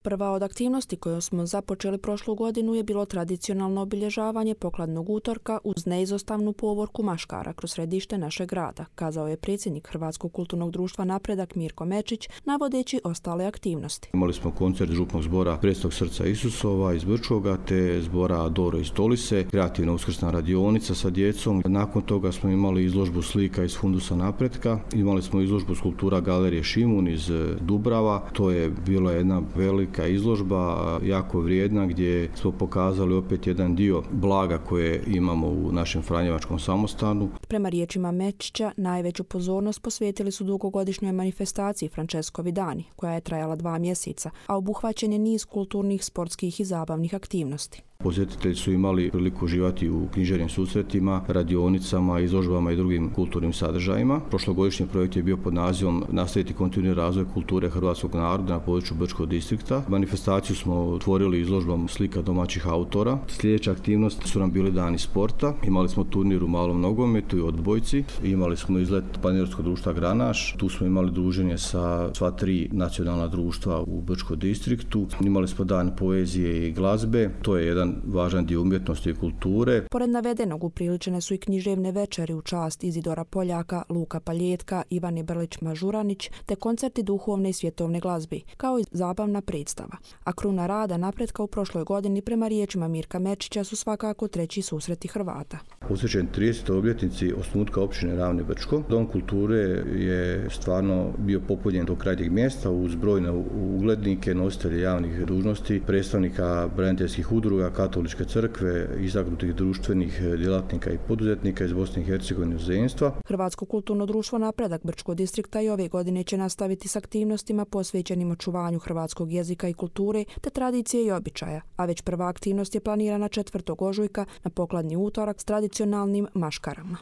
Prva od aktivnosti koju smo započeli prošlu godinu je bilo tradicionalno obilježavanje pokladnog utorka uz neizostavnu povorku maškara kroz središte našeg grada, kazao je predsjednik Hrvatskog kulturnog društva Napredak Mirko Mečić, navodeći ostale aktivnosti. Imali smo koncert župnog zbora Prestog srca Isusova iz Brčkoga te zbora Doro iz Tolise, kreativna uskrsna radionica sa djecom. Nakon toga smo imali izložbu slika iz Fundusa Napretka, imali smo izložbu skulptura Galerije Šimun iz Dubrava. To je bila jedna velika izložba, jako vrijedna, gdje smo pokazali opet jedan dio blaga koje imamo u našem franjevačkom samostanu. Prema riječima Mečića, najveću pozornost posvetili su dugogodišnjoj manifestaciji Franceskovi dani, koja je trajala 2 mjeseca, a obuhvaćen je niz kulturnih, sportskih i zabavnih aktivnosti. Posjetitelji su imali priliku uživati u književnim susretima, radionicama, izložbama i drugim kulturnim sadržajima. Prošlogodišnji projekt je bio pod nazivom Nastaviti kontinuirani razvoj kulture hrvatskog naroda na području Brčkog distrikta. Manifestaciju smo otvorili izložbom slika domaćih autora. Sljedeća aktivnost su nam bili dani sporta. Imali smo turnir u malom nogometu i odbojci. Imali smo izlet planinarskog društva Granaš. Tu smo imali druženje sa sva 3 nacionalna društva u Brčkom distriktu. Imali smo dan poezije i glazbe. To je jedan važan dio umjetnosti i kulture. Pored navedenog upriličene su i književne večeri u čast Izidora Poljaka, Luka Paljetka, Ivane Brlić-Mažuranić te koncerti duhovne i svjetovne glazbe, kao i zabavna predstava. A kruna rada Napretka u prošloj godini prema riječima Mirka Mečića su svakako 3. susreti Hrvata. Posvećen 30. obljetnici osnutka općine Ravne Brčko. Dom kulture je stvarno bio popunjen do krajnjeg mjesta uz brojne uglednike, nositelje javnih dužnosti, predstavnika braniteljskih udruga, Katoličke crkve, istaknutih društvenih djelatnika i poduzetnika iz Bosne i Hercegovine i inozemstva. Hrvatsko kulturno društvo Napredak Brčkog distrikta i ove godine će nastaviti s aktivnostima posvećenim očuvanju hrvatskog jezika i kulture te tradicije i običaja, a već prva aktivnost je planirana 4. ožujka na pokladni utorak s tradicionalnim maškarama.